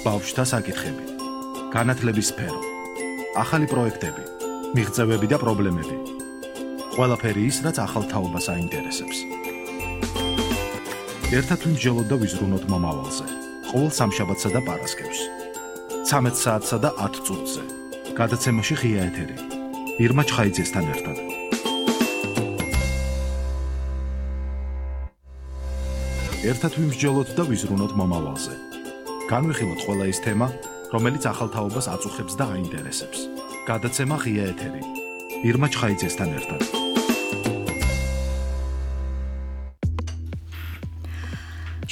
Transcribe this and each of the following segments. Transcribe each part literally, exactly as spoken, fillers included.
ბავშვთა საკითხები, განათლების სფერო, ახალი პროექტები, მიღწევები და პრობლემები. ყველაფერი ის, რაც ახალ თაობას აინტერესებს. ერთად ვიმსჯელოთ და ვიზრუნოთ მომავალზე. ყოველ სამშაბათსა და პარასკევს. ცამეტ საათსა და ათ წუთზე. გადაცემაში ღია ეთერი. ირმა ჩხაიძესთან ერთად. ერთად ვიმსჯელოთ და ვიზრუნოთ მომავალზე. განვიხილოთ ყველა ის თემა, რომელიც ახალ თაობას აწუხებს და აინტერესებს. გადაცემა ღია ეთერი. ირმა ჩხაიძესთან ერთად.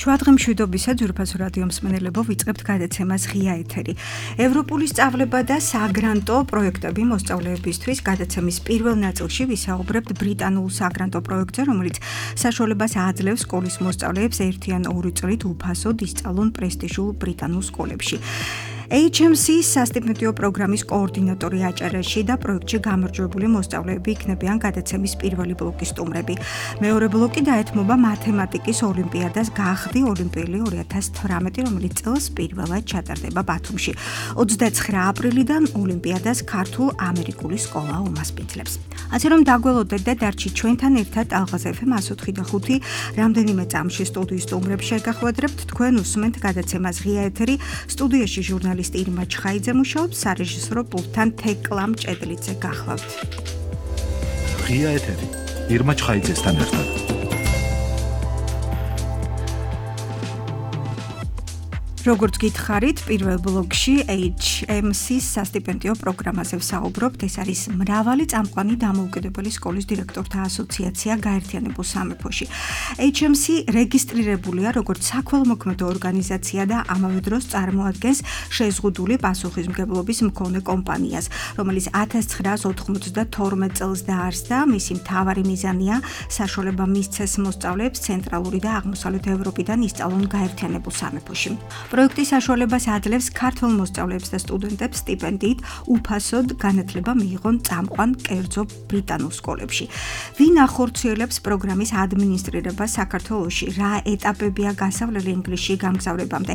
შვადღემშვიდობისა ძვირფასო რადიო მსმენელებო, ვიწყებთ გადაცემას ღია ეთერი. ევროპული სწავლება და საგრანტო პროექტები მოსწავლეებისთვის. გადაცემის პირველ ნაწილში ვისაუბრებთ ბრიტანულ საგრანტო პროექტზე, რომელიც საშუალებას აძლევს სკოლის მოსწავლეებს ერთი ან ორი წლით უფასოდ ისწავლონ პრესტიჟულ ბრიტანულ სკოლებში. ეიჩ ემ სი-ის სასტიპენდიო პროგრამის კოორდინატორი აჭარაში და პროექტში გამარჯვებული მოსწავლეები იქნებიან გადაცემის პირველი ბლოკის სტუმრები. მეორე ბლოკი დაეთმობა მათემატიკის ოლიმპიადას გახდი ოლიმპიელი ორი ათას თვრამეტი, რომელიც წელს პირველად ჩატარდება ბათუმში. ოცდაცხრა აპრილიდან ოლიმპიადას ქართულ-ამერიკული სკოლა უმასპინძლებს. ასე რომ დაგველოდეთ და დარჩით ჩვენთან ერთად ალღაზ ეფ ემ ათი და ხუთი რამდენიმე წამში სტუდიის სტუმრებს შეგახვედრებთ. თქვენ უსმენთ გადაცემას ღია ეთერი. სტუდიაში ჟურნალისტი ირმა ჩხაიძე მუშაობს, სარეჟისორო პულტთან თეკლა მჭედლიძე გახლავთ. ღია ეთერი. ირმა ჩხაიძესთან ერთად. როგორც გითხარით, პირველ ბლოკში ეიჩ ემ სი-ის სასტიპენდიო პროგრამაზე ვსაუბრობთ. ეს არის მრავალი წამყვანი დამოუკიდებელი სკოლის დირექტორთა ასოციაცია გაერთიანებულ სამეფოში. ეიჩ ემ სი რეგისტრირებულია როგორც საქველმოქმედო ორგანიზაცია და ამავე დროს წარმოადგენს შეზღუდული პასუხისმგებლობის მქონე კომპანიას, რომელიც ათას ცხრაას ოთხმოცდათორმეტ წელს დაარსდა. მისი მთავარი მიზანია საშუალება მისცეს მოსწავლეებს ცენტრალური და აღმოსავლეთ ევროპიდან ისწავლონ გაერთიანებულ სამეფოში. პროექტი საშუალებას აძლევს ქართველ მოსწავლეებს და სტუდენტებს სტიპენდიით უფასოდ განათლება მიიღონ წამყვან კერძო ბრიტანულ სკოლებში. ვინ ახორციელებს პროგრამის ადმინისტრირებას საქართველოში? რა ეტაპებია გასავლელი ინგლისში გამგზავრებამდე?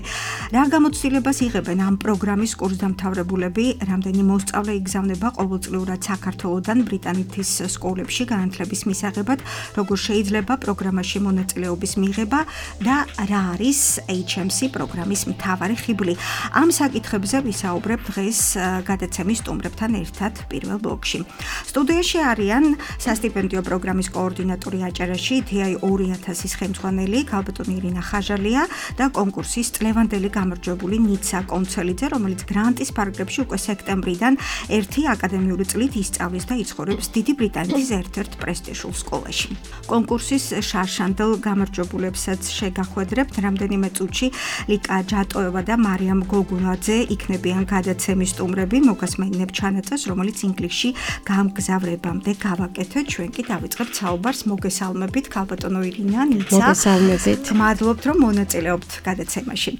რა გამოცდილებას იღებენ ამ პროგრამის კურსდამთავრებულები? რამდენი მოსწავლე იგზავნება ყოველწლიურად საქართველოდან ბრიტანეთის სკოლებში განათლების მისაღებად? როგორ შეიძლება პროგრამაში მონაწილეობის მიღება და რა არის ეიჩ ემ სი პროგრამის მთავარი ხიბლი? ამ საკითხებზე ვისაუბრებთ დღეს გადაცემის სტუმრებთან ერთად პირველ ბლოკში. სტუდიაში არიან სასტიპენდიო პროგრამის კოორდინატორი აჭარაში თი აი ორი ათასის ხელმძღვანელი ქალბატონი ირინა ხაჟალია და კონკურსის წლევანდელი გამარჯვებული ნიცა კონცელიძე, რომელიც გრანტის ფარგლებში უკვე სექტემბრიდან ერთი აკადემიური წლით ისწავლის და იცხოვრებს დიდი ბრიტანეთის ერთ-ერთ პრესტიჟულ სკოლაში. კონკურსის შარშანდელ გამარჯვებულებსაც შეგახვედრებთ. რამდენიმე წუთში ლიკა ჯატოევა და მარიამ გოგუნაძე იქნებიან გადაცემის სტუმრები. მოგასმენინებ ჩანაწერს, რომელიც ინგლისში გამგზავრებამდე გავაკეთეთ. ჩვენ კი დავიწყებთ საუბარს. მოგესალმებით, ქალბატონო ირინა, ნიცა. მოგესალმებით. მადლობთ, რომ მონაწილეობთ გადაცემაში.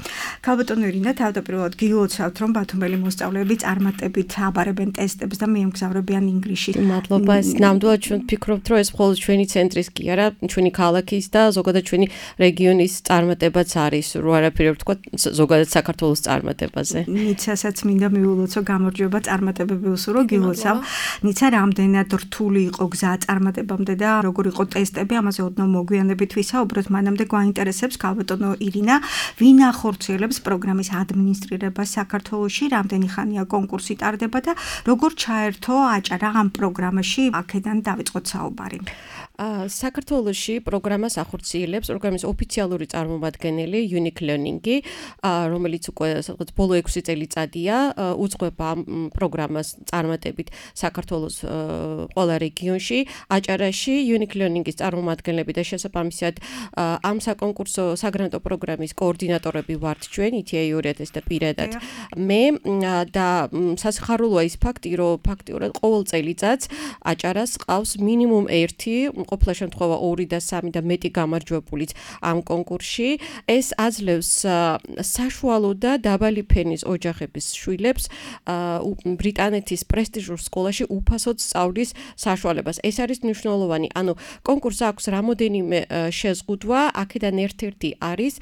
ქალბატონო ირინა, თავდაპირველად გილოცავთ, რომ ბათუმელი მოსწავლეები წარმატებით აბარებენ ტესტებს და მიემგზავრებიან ინგლისში. მადლობა. ეს ნამდვილად ჩვენ ვფიქრობთ, რომ ეს მხოლოდ ჩვენი ცენტრის კი არა, ჩვენი ქალაქის და ზოგადად ჩვენი რეგიონის წარმატებაც არის, რო არაფერი ვთქვა ზოგადად საქართველოს წარმატებაზე. ნიცასაც მინდა მიულოცო გამარჯვება წარმატებები უსურო გილოცავ. ნიცა რამდენად რთული იყო გზა წარმატებამდე და როგორ იყო ტესტები, ამაზე ოდნავ მოგვიანებით ვისაუბროთ. მანამდე გვაინტერესებს ქალბატონო ირინა, ვინ ახორციელებს პროგრამის ადმინისტრირებას საქართველოში, რამდენი ხანია კონკურსი ტარდება და როგორ ჩაერთო აჭარა ამ პროგრამაში? აქედან დავიწყოთ საუბარი. საქართველოში პროგრამას ახორციელებს პროგრამის ოფიციალური წარმომადგენელი Unique Learning-ი, რომელიც უკვე სადღაც ბოლო ექვსი წელიწადია უძღვება ამ პროგრამას წარმატებით საქართველოს ყველა რეგიონში. აჭარაში Unique Learning-ის წარმომადგენლები და შესაბამისად ამ საკონკურსო საგრანტო პროგრამის კოორდინატორები ვართ ჩვენ, თი აი ორი ათასი და პირადად მე და სასიხარულოა ის ფაქტი, რომ ფაქტიურად ყოველ წელიწადს აჭარას ყავს მინიმუმ ერთი ყოფილა შემთხვევა ორი და სამი და მეტი გამარჯვებულიც ამ კონკურსში. ეს აძლევს საშუალო და დაბალი ფენის ოჯახების შვილებს ბრიტანეთის პრესტიჟურ სკოლაში უფასოდ სწავლის საშუალებას. ეს არის მნიშვნელოვანი. ანუ კონკურსს აქვს რამოდენიმე შეზღუდვა, აქედან ერთ-ერთი არის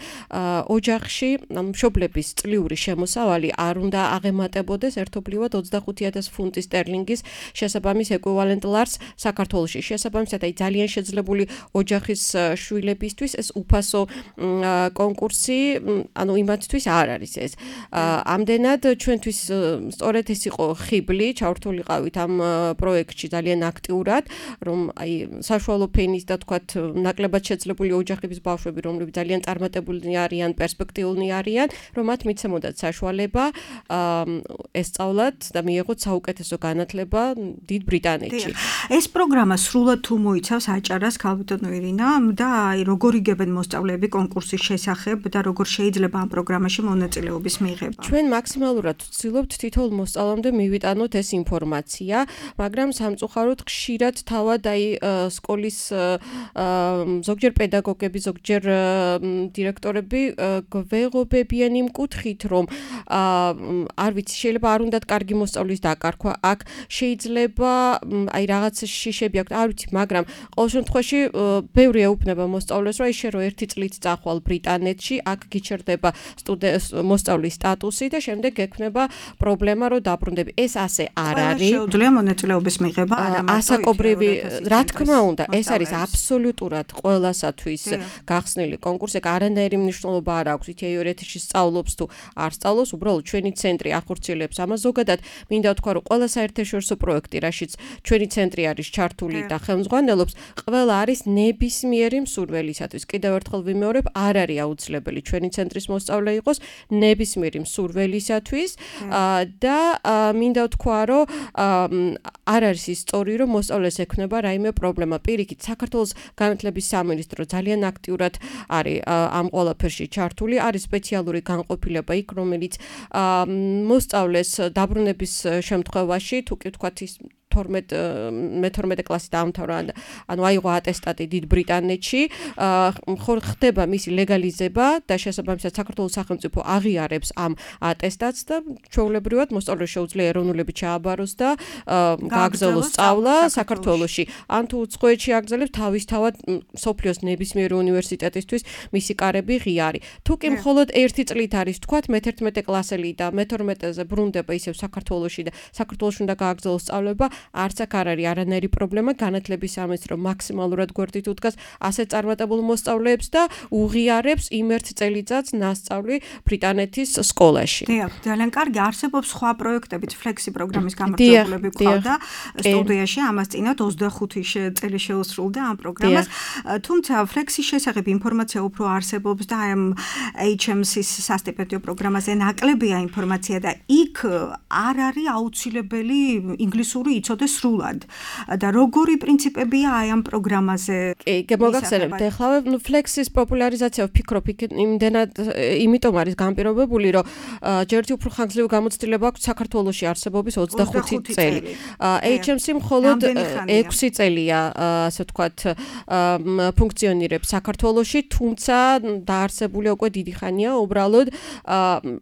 ოჯახში მშობლების წლიური შემოსავალი არ უნდა აღემატებოდეს ერთობლივად ოცდახუთი ათასი ფუნტი სტერლინგის შესაბამის ეკვივალენტ ლარს საქართველოში. შესაბამისად, აი ძალიან შეძლებული ოჯახის შვილებისთვის ეს უფასო კონკურსი, ანუ იმათთვის არ არის ეს. ამდენად ჩვენთვის სწორედ ეს იყო ხიბლი, ჩავრთულიყავით ამ პროექტში ძალიან აქტიურად, რომ აი საშუალო ფენის და თქვათ ნაკლებად შეძლებული ოჯახების ბავშვები, რომლებიც ძალიან წარმატებულნი არიან, პერსპექტიულნი არიან, რომ მათ მიცემოდათ საშუალება ესწავლათ და მიეღოთ საუკეთესო განათლება დიდ ბრიტანეთში. ეს პროგრამა სრულად თუ მოიცავს აჭარას, ქალბატონო ირინა, და აი როგორ იგებენ მოსწავლეები კონკურსის შესახებ და როგორ შეიძლება ამ პროგრამაში მონაწილეობის მიღება? ჩვენ მაქსიმალურად ვცდილობთ თითოეულ მოსწავლემდე მივიტანოთ ეს ინფორმაცია, მაგრამ სამწუხაროდ ხშირად თავად აი სკოლის ზოგჯერ პედაგოგები, ზოგჯერ დირექტორები გვეღობებიან იმ კუთხით, რომ არ ვიცი, შეიძლება არ უნდათ კარგი მოსწავლის დაკარგვა, აქ შეიძლება აი რაღაც შიშები აქვს, არ ვიცი, მაგრამ ყოველ შემთხვევაში ბევრი ეუბნება მოსწავლეს, რომ აი შენ რო ერთი წლით წახვალ ბრიტანეთში, აქ გიჩერდება მოსწავლის სტატუსი და შემდეგ გექნება პრობლემა, რომ დაბრუნდები. ეს ასე არ არის. შეუძლია მონაწილეობის მიღება, არა მარტო ასაკობრივი, რა თქმა უნდა, ეს არის აბსოლუტურად ყველასათვის გახსნილი კონკურსი, არანაირი მნიშვნელობა არ აქვს, ითეორეთში სწავლობს თუ არ სწავლობს, უბრალოდ ჩვენი ცენტრი ახორციელებს ამას. ზოგადად, მინდა ვთქვა, რომ ყველა საერთაშორისო პროექტი, რაშიც ჩვენი ცენტრი არის ჩართული და ხელმძღვანელობს, ყველა არის ნებისმიერი მსურველისათვის. კიდევ ერთხელ ვიმეორებ, არ არის აუცილებელი ჩვენი ცენტრის მოსწავლე იყოს, ნებისმიერი მსურველისათვის და მინდა ვთქვა, რომ არ არის ისტორია, რომ მოსწავლეს ექნება რაიმე პრობლემა. პირიქით, საქართველოს განათლების სამინისტრო ძალიან აქტიურად არის ამ ყველაფერში ჩართული, არის სპეციალური განყოფილება იქ, რომელიც მოსწავლეს დაბრუნების შემთხვევაში, თუ კი ვთქვათ ის მეთორმეტე კლასი დაამთავრა, ანუ აიღო ატესტატი დიდ ბრიტანეთში, ხდება მისი ლეგალიზება და შესაბამისად საქართველოს სახელმწიფო აღიარებს ამ ატესტატს და ჩვეულებრივად მოსწავლეს შეუძლია ეროვნულები ჩააბაროს და გააგრძელოს სწავლა საქართველოში. ან თუ უცხოეთში აგრძელებს, თავისთავად სოფლიოს ნებისმიერი უნივერსიტეტისთვის მისი კარები ღია არის. თუ კი მხოლოდ ერთი წლით არის, თქვათ, მეთერთმეტე კლასელი და მეთორმეტეზე ბრუნდება ისევ საქართველოში და საქართველოში უნდა გააგრძელოს სწავლება, არც აქ არ არის არანაირი პრობლემა, განათლების სამინისტრო მაქსიმალურად გვერდით უდგას ასეთ წარმატებულ მოსწავლეებს და უღიარებს იმ ერთ წელიწადს ნასწავლი ბრიტანეთის სკოლაში. დიახ, ძალიან კარგი. არსებობს სხვა პროექტებიც, ფლექსი პროგრამის გამარჯვებულები გვყავდა სტუდიაში, ამას წინათ ოცდახუთი წელი შეუსრულდა ამ პროგრამას. თუმცა ფლექსის შესახებ ინფორმაცია უფრო არსებობს და ამ ეიჩ ემ სის სასტიპენდიო პროგრამაზე ნაკლებია ინფორმაცია და იქ არ არის აუცილებელი ინგლისური იცოდეს სრულად. და როგორი პრინციპებია აი ამ პროგრამაზე? კი, მოგახსენებთ, ეხლა ფლექსის პოპულარიზაცია ვფიქრობ, იმდენად იმიტომ არის განპირობებული, რომ ჯერჯი უფრო ხანგრძლივი გამოცდილება აქვს საქართველოში არსებობის ოცდახუთი წელი. ეიჩ ემ სი მხოლოდ ექვსი წელია, ასე ვთქვათ, ფუნქციონირებს საქართველოში, თუმცა დაარსებულია უკვე დიდი ხანია, უბრალოდ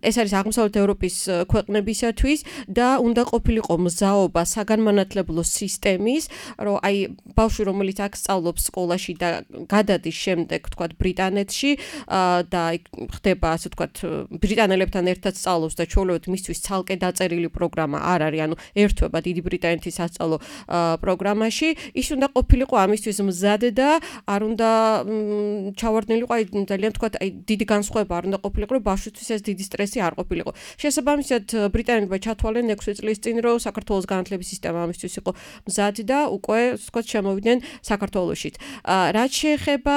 ეს არის აღმოსავლეთ ევროპის ქვეყნებისათვის და უნდა ყოფილიყო მზაობა საგანმანათლებლო სისტემის, რომ აი ბავშვი, რომელიც აქ სწავლობს სკოლაში და გადადის შემდეგ, თქვათ, ბრიტანეთში და ხდება, ასე ვთქვათ, ბრიტანელებთან ერთად სწავლობს და ჩვეულებრივად მისთვის ცალკე დაწერილი პროგრამა არ არის, ანუ ერთვება დიდი ბრიტანეთის სასწავლო პროგრამაში, ის უნდა ყოფილიყო ამისთვის მზად და არ უნდა ჩავარდნილიყო, აი ძალიან ვთქვათ, აი დიდი განსხვავება არ უნდა ყოფილიყო, რომ ბავშვისთვის ეს დიდი სტრესი არ ყოფილიყო. შესაბამისად, ბრიტანელებმა ჩათვალენ ექვსი წლის წინ, რომ საქართველოს განათლების სისტემა ამისთვის იყო მზად და უკვე, ვთქვათ, შემოვიდნენ საქართველოშიც. რაც შეეხება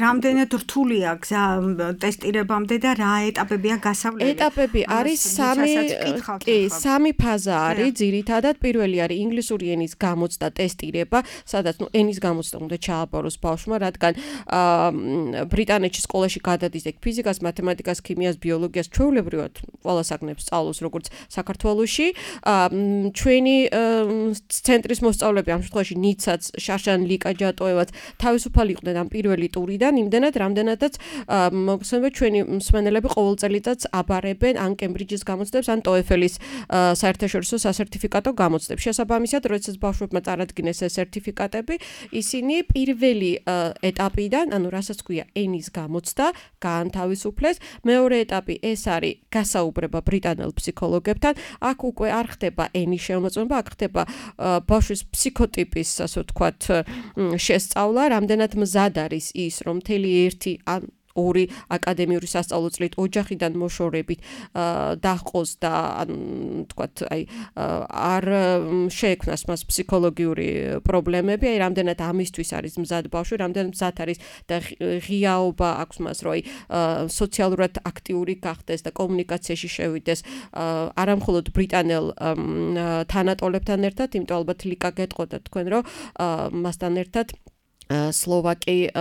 რამდენად რთულია გზა ტესტირებამდე და რა ეტაპებია გასავლელი? ეტაპები არის სამი, კი, სამი ფაზა არის ძირითადად. პირველი არის ინგლისური ენის გამოცდა, ტესტირება, სადაც ნუ ენის გამოცდა უნდა ჩააბაროს ბავშვმა, რადგან ბრიტანეთში სკოლაში გადადის ეგ ფიზიკას, მათემატიკას, ქიმიას, ბიოლოგიას, ჩვეულებრივად ყველა საგნებს სწავლობს, როგორც საქართველოში. ჩვენი ცენტრის მოსწავლეები ამ შემთხვევაში ნიცაც, შაშან, ლიკა ჯატოევაც თავისუფალი იყვნენ ამ პირველი ტურიდან, იმდენად, რამდენადაც მოგხსენება ჩვენი მსმენელები ყოველ წელიწადს აბარებენ ან კემბრიჯის გამოცდებს, ან TOEFL-ის საერთაშორისო სასერტიფიკატო გამოცდებს. შესაბამისად, როდესაც ბავშვებმა წარადგინეს ეს სერტიფიკატები, ისინი პირველი ეტაპიდან, ანუ რასაც ქვია ენის გამოცდა, გაანთავისუფლეს. მეორე ეტაპი ეს არის გასაუბრება ბრიტანელ ფსიქოლოგებთან. აქ უკვე არ ხდება ენის შემოწმება, აქ ხდება ბავშვის ფსიქოტიპის, ასე ვთქვათ, შესწავლა, რამდენად მზად არის ის, რომ მთელი ერთი ან ორი აკადემიური სასწავლო წლით ოჯახიდან მოშორებით დაჰყოს და თქვათ, აი არ შეექმნას მას ფსიქოლოგიური პრობლემები, აი რამდენად ამისთვის არის მზად ბავშვი, რამდენად მზად არის და ღიაობა აქვს მას, რომ აი სოციალურად აქტიური გახდეს და კომუნიკაციაში შევიდეს არა მხოლოდ ბრიტანელ თანატოლებთან ერთად, იმიტომ ალბათ ლიკა გეტყოდა თქვენ, რომ მასთან ერთად სლოვაკი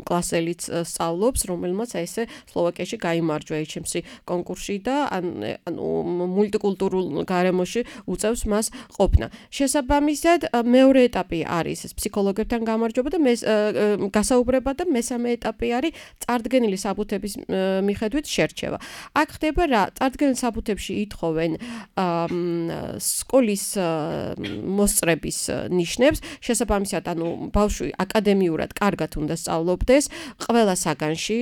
კლასელიც სწავლობს, რომელმაც ესე სლოვაკიაში გაიმარჯვა ეიჩ ემ სი კონკურსში და ანუ მულტიკულტურულ გარემოში უწევს მას ყოფნა. შესაბამისად, მეორე ეტაპი არის ეს ფსიქოლოგებთან გამარჯვება და გასაუბრება და მესამე ეტაპი არის წარდგენილი საბუთების მიხედვით შერჩევა. აქ ხდება რა? წარდგენილ საბუთებში ითხოვენ სკოლის მოსწრების ნიშნებს, შესაბამისად, ანუ ბავშვი აკადემიურად მიურად კარგად უნდა სწავლობდეს ყველა საგანში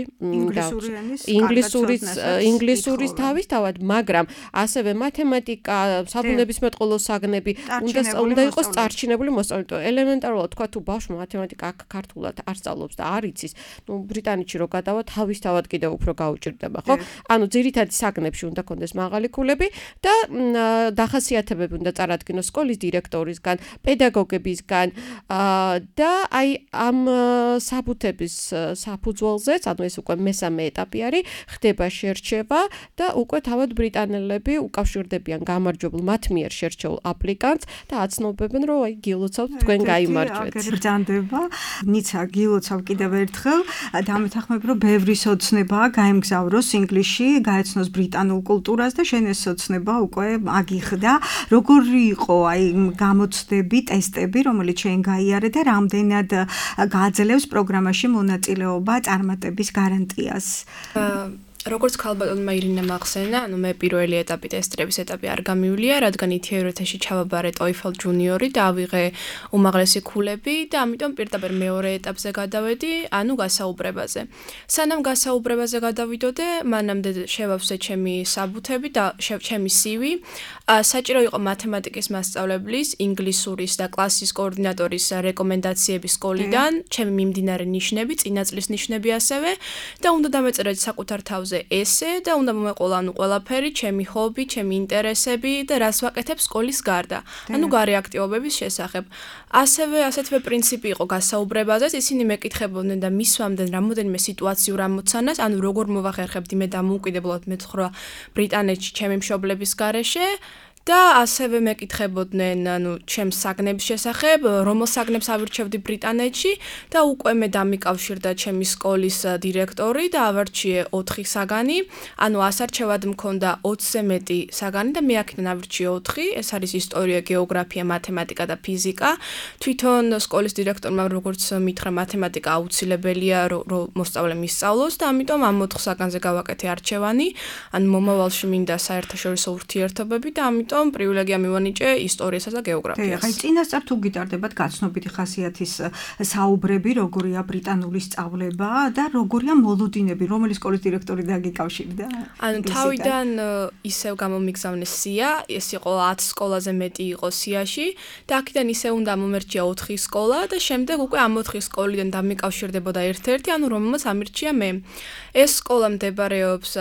ინგლისურის ინგლისურის თავისთავად, მაგრამ ასევე მათემატიკა, საბუნებისმეტყველო საგნები უნდა უნდა იყოს წარჩინებული მოსწავლე. ელემენტარულად თქვა თუ ბავშვი მათემატიკა აქ ქართულად არ სწავლობს და არ იცის, ნუ ბრიტანეთში რო გადავა თავისთავად კიდევ უფრო გაუჭირდება, ხო? ანუ ძირითადი საგნებში უნდა კონდეს მაღალი ქულები და დახასიათებები უნდა წარადგინოს სკოლის დირექტორისგან, პედაგოგებისგან და აი ამ საბუთების საფუძველზეც, ანუ ეს უკვე მესამე ეტაპი არის, ხდება შერჩევა და უკვე თავად ბრიტანელები უკავშირდებიან გამარჯვებულ მათ მიერ შერჩეულ აპლიკანტს და აცნობებენ, რომ აი გილოცავთ თქვენ გაიმარჯვეთ. გრძანდება. ნიცა, გილოცავ კიდევ ერთხელ. დამეთანხმებ, რომ ბევრი სოცნებაა გაემგზავროს ინგლისში, გაეცნოს ბრიტანულ კულტურას და შენ ეს სოცნება უკვე აგიხდა. როგორი იყო აი გამოცდები, ტესტები, რომელიც შენ გაიარე და რამდენად გააძლევს პროგრამაში მონაწილეობა წარმატების გარანტიას? როგორც ქალბატონმა ირინამ ახსენა, ანუ მე პირველი ეტაპი ტესტების ეტაპი არ გამივლია, რადგან ითიერთეში ჩავაბარე TOEFL ჯუნიორი და ავიღე უმაღლესი ქულები და ამიტომ პირდაპირ მეორე ეტაპზე გადავედი, ანუ გასაუბრებაზე. სანამ გასაუბრებაზე გადავიდოდე, მანამდე შევავსე ჩემი საბუთები და ჩემი სი ვი. საჭირო იყო მათემატიკის მასწავლებლის, ინგლისურის და კლასის კოორდინატორის რეკომენდაციები სკოლიდან, ჩემი მიმდინარე ნიშნები, წინა წლის ნიშნები ასევე და უნდა დამეწერა საკუთარ თავზე ესე და უნდა მომეყოლა ანუ ყველაფერი, ჩემი ჰობი, ჩემი ინტერესები და რას ვაკეთებ სკოლის გარდა. ანუ გარე აქტივობების შესახებ. ასევე ასეთვე პრინციპი იყო გასაუბრებაზეც, ისინი მეკითხებოდნენ და მისვამდნენ რამოდენიმე სიტუაციურ ამოცანას, ანუ როგორ მოვახერხებდი მე დამოუკიდებლად მეცხრა ბრიტანეთში ჩემი მშობლების გარეშე. და ასევე მეკითხებოდნენ, ანუ ჩემს საგნების შესახებ, რომელ საგნებს ავირჩევდი ბრიტანეთში და უკვე მე დამიკავშირდა ჩემი სკოლის დირექტორი და ავარჩიე ოთხი საგანი, ანუ ასარჩევად მქონდა ოცზე მეტი საგანი და მე აქედან ავირჩიე ოთხი, ეს არის ისტორია, გეოგრაფია, მათემატიკა და ფიზიკა. თვითონ სკოლის დირექტორმა როგორც მითხრა, მათემატიკა აუცილებელია, რომ მოსწავლე მისწავლოს და ამიტომ ამ ოთხ საგანზე გავაკეთე არჩევანი, ანუ მომავალში მინდა საერთაშორისო ურთიერთობები და ამიტომ პრივილეგია მივანიჭე ისტორიასა და გეოგრაფიას. აი, წინასწარ თუ გიტარდებათ გაცნობიტი ხასიათის საუბრები, როგორია ბრიტანული სწავლება და როგორია მოლოდინები, რომელი სკოლის დირექტორი დაგიკავშირდა? ანუ თავიდან ისევ გამომიგზავნეს სია, ეს იყო ათ სკოლაზე მეტი იყო სიაში და აქედან ისევ უნდა მომერჩია ოთხი სკოლა და შემდეგ უკვე ამ ოთხი სკოლიდან დამიკავშირდებოდა ერთ-ერთი, ანუ რომელმაც ამირჩია მე. ეს სკოლა მდებარეობს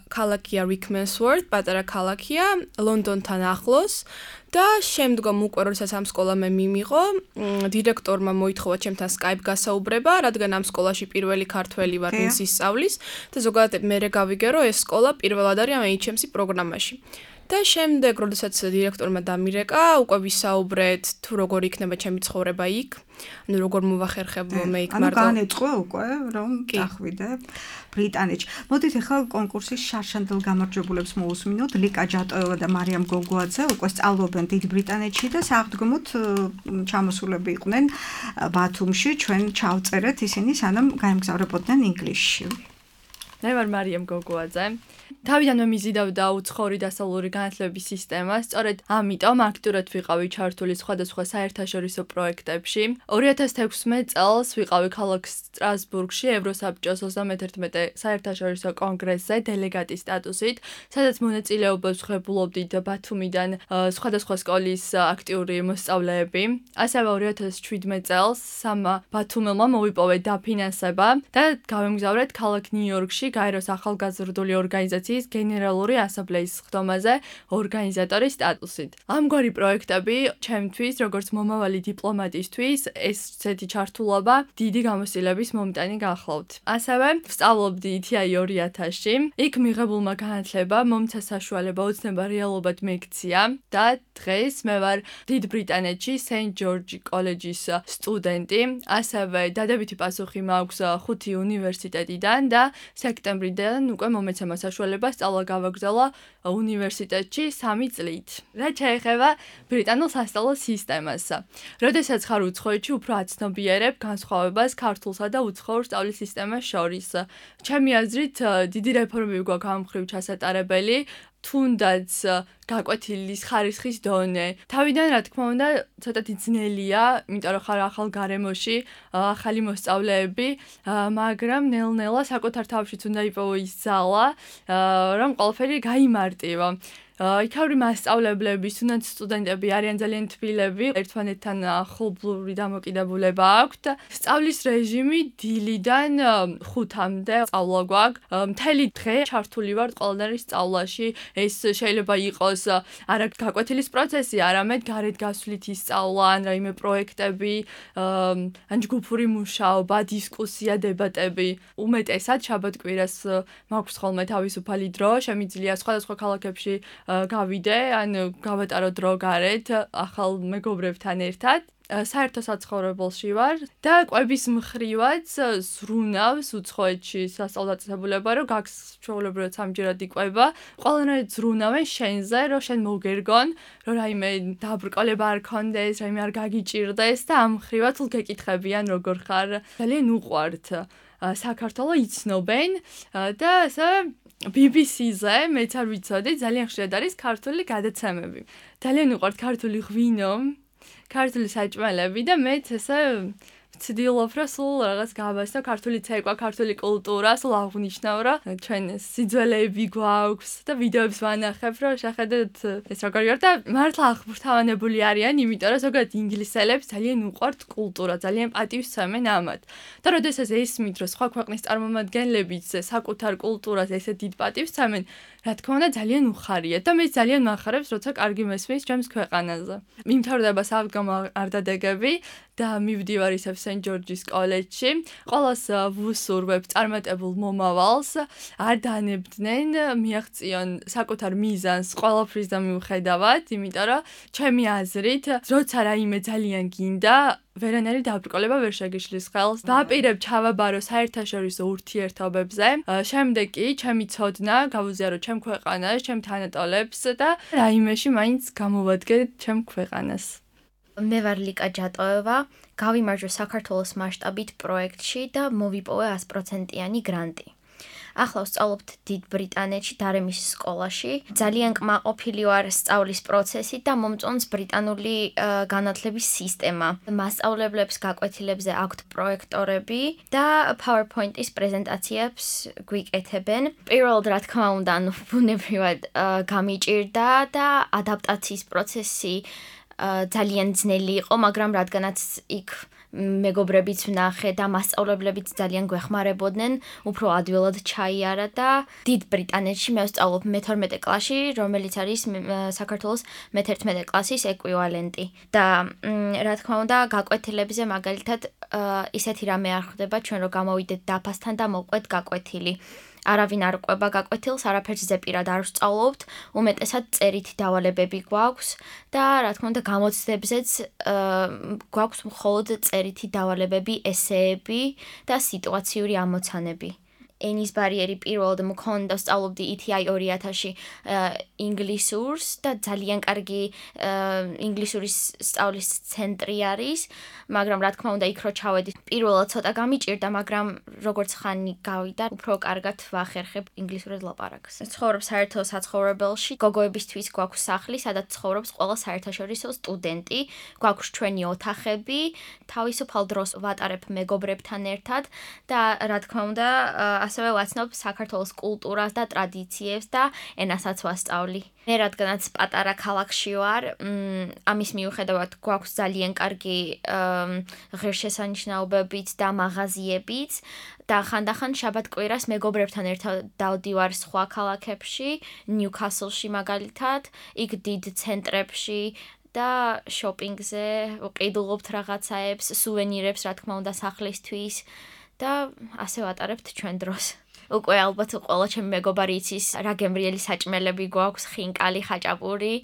ქალაქია რიკმენსვორთ, პატარა ქალაქია, ლონდონთან ახლოს და შემდგომ უკვე როდესაც ამ სკოლა მე მიმიღო, დირექტორმა მოითხოვა ჩემთან Skype გასაუბრება, რადგან ამ სკოლაში პირველი ქართველი ვარ, ვინც ისწავლის და ზოგადად მე გავიგე, რომ ეს სკოლა პირველად არის ამ ეიჩ ემ სი პროგრამაში. და შემდეგ, როდესაც დირექტორმა დამირეკა, უკვე ვისაუბრეთ თუ როგორ იქნება ჩემი ცხოვრება იქ. ანუ როგორ მოვახერხებ მე იქ მარტო. ანუ განეწყო უკვე რომ წახვიდე ბრიტანეთში. მოდით ახლა კონკურსის შარშანდელ გამარჯვებულებს მოусმინოთ. ლიკა ჯატოევა და მარიამ გოგოაძე უკვე სწავლობენ დიდ ბრიტანეთში და საღდგომოდ ჩამოსულები იყვნენ ბათუმში. ჩვენ ჩავწერეთ ისინი სანამ გაემგზავრებოდნენ ინგლისში. მე ვარ მარიამ გოგოაძე. თავიდანვე მიზიდავდა უცხოური დასავლური განათლების სისტემას, სწორედ ამიტომ აქტიურად ვიყავი ჩართული სხვადასხვა საერთაშორისო პროექტებში. ორი ათას თექვსმეტ წელს ვიყავი ქალაქ სტრასბურგში ევროსაბჭოს ოცდამეთერთმეტე საერთაშორისო კონგრესზე დელეგატის სტატუსით, სადაც მონაწილეობას ვღებულობდით ბათუმიდან სხვადასხვა სკოლის აქტიური მოსწავლეები. ასევე ორი ათას შვიდმეტ წელს სამა ბათუმელმა მოვიპოვე დაფინანსება და გავემგზავრეთ ქალაქ ნიუ-იორკში გაეროს ახალგაზრდული ორგანიზაციის გენერალური ასამბლეის სხდომაზე ორგანიზატორის სტატუსით. ამგვარი პროექტები ჩემთვის, როგორც მომავალი დიპლომატისთვის, ესეთი ჩართულობა დიდი გამოცდილების მომტანი გახლავთ. ასევე ვსწავლობდი ითი აი ორი ათასში. იქ მიღებულმა განათლება მომცა საშუალება ოცნება რეალობად მეკცია და დღეს მე ვარ დიდ ბრიტანეთში სენთ ჯორჯი კოლეჯის სტუდენტი. ასევე დადებითი პასუხი მაქვს ხუთი უნივერსიტეტიდან და სექტემბრიდან უკვე მომეცემა საშუალება სწავლა გავაგრძელა უნივერსიტეტში სამი წლით. რაც შეეხება ბრიტანულ სასწავლო სისტემას. როდესაც ხარ უცხოეთში, უფრო აცნობიერებ განსხვავებას ქართულსა და უცხოურ სწავლის სისტემას შორის. ჩემი აზრით, დიდი რეფორმები გვაქვს ამ მხრივ ჩასატარებელი. თუნდაც გაკვეთილის ხარისხის დონე. თავიდან რა თქმა უნდა, ცოტათი ძნელია, იმიტომ რომ ხარ ახალ გარემოში, ახალი მოსწავლეები, მაგრამ ნელ-ნელა საკუთარ თავშიც უნდა იპოვო ის ძალა, რომ ყველაფერი გაიმარტივო. იქაური მასწავლებლების, თუნდაც სტუდენტები არიან ძალიან თბილები, ერთმანეთთან ახლობლური დამოკიდებულება აქვთ. სწავლის რეჟიმი დილიდან ხუთამდე სწავლა გვაქვს. მთელი დღე ჩართული ვარ ყველანაირი სწავლაში. ეს შეიძლება იყოს არა გაკვეთილის პროცესი, არამედ გარეთ გასვლითი სწავლა, ან რაიმე პროექტები, ან ჯგუფური მუშაობა, დისკუსია, დებატები. უმეტესად შაბათ-კვირას მაქვს ხოლმე თავისუფალი დრო, შემიძლია სხვადასხვა ქალაქებში გავიდე, ან გავატარო დრო გარეთ ახალ მეგობრებთან ერთად. საერთო საცხოვრებელში ვარ და კვების მხრივაც ზრუნავს უცხოეთში სასწავლო დაწესებულება, რომ გაქვს ჩვეულებრივად სამჯერად იკვება. ყველანაირად ზრუნავენ შენზე, რომ შენ მოგერგონ, რომ რაიმე დაბრკოლება არ ქონდეს, რაიმე არ გაგიჭირდეს და ამ მხრივაც სულ გეკითხებიან როგორ ხარ. ძალიან უყვართ საქართველო იცნობენ და ასე ბი ბი სი-ზე მეც არ ვიცოდი, ძალიან ხშირად არის ქართული გადაცემები. ძალიან უყვართ ქართული ღვინო, ქართული საჭმელები და მეც ესე ვცდილობ, რომ სულ რაღაც გავასწავლო ქართული ცეკვა, ქართული კულტურა, სულ აღვნიშნავ, რომ ჩვენ სიძველეები გვაქვს და ვიდეოებს ვანახებ, რომ შეხედეთ ეს როგორი ვარ და მართლა აღფრთოვანებული არიან, იმიტომ რომ ზოგადად ინგლისელებს ძალიან უყვართ კულტურა, ძალიან პატივს სცემენ ამათ. და როდესაც ესმით, რომ სხვა ქვეყნის წარმომადგენლებიც საკუთარ კულტურას ესე დიდ პატივს სცემენ, რა თქმა უნდა ძალიან უხარია და მე ძალიან მახარებს, როცა კარგი მესმის ჩემს ქვეყანაზე. მიმთავრდება საღდგომო არდადეგები და მივდივარ ისევ სენთ ჯორჯის კოლეჯში. ყველას ვუსურვებ წარმატებულ მომავალს, არ დანებდნენ, მიაღწიონ საკუთარ მიზანს ყველაფრის და მიუხედავად, იმიტომ რომ ჩემი აზრით, როცა რაიმე ძალიან გინდა, ვერანაირი დაბრკოლება ვერ შეგიშლის ხელს. ვაპირებ ჩავაბარო საერთაშორისო ურთიერთობებზე. შემდეგ კი ჩემი ცოდნა გავუზიარო ჩემ ქვეყანას, ჩემ თანატოლებს და რაიმეში მაინც გამოვადგე ჩემ ქვეყანას. მე ვარ ლიკა ჯატოევა, გავიმარჯვე საქართველოს მასშტაბით პროექტში და მოვიპოვე ას პროცენტიანი გრანტი. ახლა ვსწავლობთ დიდ ბრიტანეთში დარემის სკოლაში. ძალიან კმაყოფილი ვარ სწავლის პროცესით და მომწონს ბრიტანული განათლების სისტემა. მასწავლებლებს გაკვეთილებზე აქვთ პროექტორები და PowerPoint-ის პრეზენტაციებს გვიკეთებენ. პირველად რა თქმა უნდა, ანუ ბუნებრივად გამიჭირდა და ადაპტაციის პროცესი ძალიან ძნელი იყო, მაგრამ რადგანაც იქ მეგობრებიც ვნახე და მასწავლებლებიც ძალიან გვეხმარებოდნენ, უფრო ადვილად ჩაიარა და დიდ ბრიტანეთში მე ვსწავლობ მეთორმეტე კლასში, რომელიც არის საქართველოს მეთერთმეტე კლასის ეკვივალენტი. და რა თქმა უნდა, გაკვეთილებზე მაგალითად ისეთი რამე არ ხდება, ჩვენ რო გამოვიდეთ დაფასთან და მოვყვეთ გაკვეთილი. არავინ არ ყვება გაკვეთილს, არაფერს ზეპირად არ ვსწავლობთ, უმეტესად წერითი დავალებები გვაქვს და რა თქმა უნდა გამოცდებზეც გვაქვს მხოლოდ წერითი დავალებები, ესეები და სიტუაციური ამოცანები. ენის ბარიერი პირველად მქონდა, სწავლობდი ი თი აი ორი ათასში ინგლისურს და ძალიან კარგი ინგლისურის სწავლის ცენტრი არის, მაგრამ რა თქმა უნდა იქ რო ჩავედი, პირველად ცოტა გამიჭირდა, მაგრამ როგორც ხანი გავიდა, უფრო კარგად ვახერხებ ინგლისურად ლაპარაკს. ცხოვრობ საერთო საცხოვრებელში, გოგოებისთვის გვაქვს სახლი, სადაც ცხოვრობს ყველა საერთაშორისო სტუდენტი, გვაქვს ჩვენი ოთახები, თავისუფალ დროს ვატარებ მეგობრებთან ერთად და რა თქმა უნდა ასევე ვაცნობ საქართველოს კულტურას და ტრადიციებს და ენასაც ვასწავლი. მე რადგანაც პატარა ქალაქში ვარ, ამის მიუხედავად გვაქვს ძალიან კარგი ღირსშესანიშნაობებით და მაღაზიებიც და ხანდახან შაბათ-კვირას მეგობრებთან ერთად დავდივარ სხვა ქალაქებში, ნიუკასლში მაგალითად, იქ დიდ ცენტრებში და შოპინგზე ვყიდულობთ რაღაცაებს, სუვენირებს, რა თქმა უნდა, სახლისთვის და ასე ვატარებთ ჩვენ დროს. უკვე ალბათ ყველა ჩემი მეგობარი იცის რა გემრიელი საჭმელები გვაქვს, ხინკალი, ხაჭაპური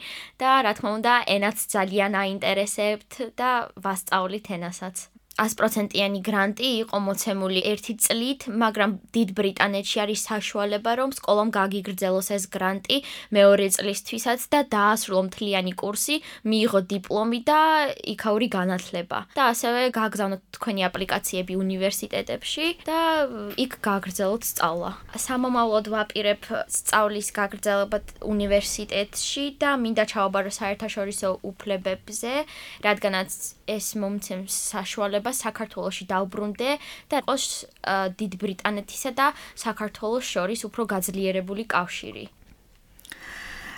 და რა თქმა უნდა, ენაც ძალიან აინტერესებთ და ვასწავლით ენასაც. ას პროცენტიანი გრანტი იყო მოცემული ერთი წლით, მაგრამ დიდ ბრიტანეთში არის საშუალება, რომ სკოლამ გაგიგრძელოს ეს გრანტი მეორე წლისთვისაც და დაასრულო მთლიანი კურსი, მიიღო დიპლომი და იქაური განათლება. და ასევე გააგზავნოთ თქვენი აპლიკაციები უნივერსიტეტებში და იქ გააგრძელოთ სწავლა. სამომავლოდ ვაპირებ სწავლის გაგრძელება უნივერსიტეტში და მინდა ჩავაბარო საერთაშორისო უფლებებზე, რადგანაც ეს მომცემს საშუალება საქართველოში დავბრუნდე და იყოს დიდ ბრიტანეთისა და საქართველოს შორის უფრო გაძლიერებული კავშირი.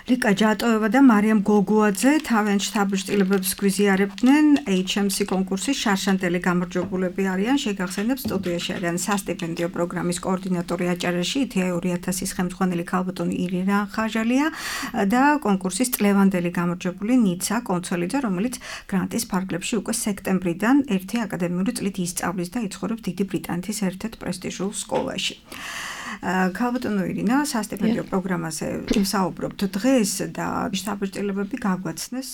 ლიკა ჯატოევა და მარიამ გოგუაძე თავიანთ შთაბეჭდილებებს გვიზიარებდნენ ეიჩ ემ სი კონკურსის შარშანტელი გამარჯვებულები არიან. შეგახსენებ, სტუდიაში არიან სასტიპენდიო პროგრამის კოორდინატორი აჭარაში ი თი აი ორი ათასის ხელმძღვანელი ქალბატონი ირინა ხაჟალია და კონკურსის წლევანდელი გამარჯვებული ნიცა კონცოლიძე, რომელიც გრანტის ფარგლებში უკვე სექტემბრიდან ერთი აკადემიური წლით ისწავლის და იცხოვრობს დიდი ბრიტანეთის ერთ-ერთ პრესტიჟულ სკოლაში. ქალბატონო ირინა, სასტიპენდიო პროგრამაზე ვსაუბრობთ დღეს და შთაბეჭდილებები გაგვაცნეს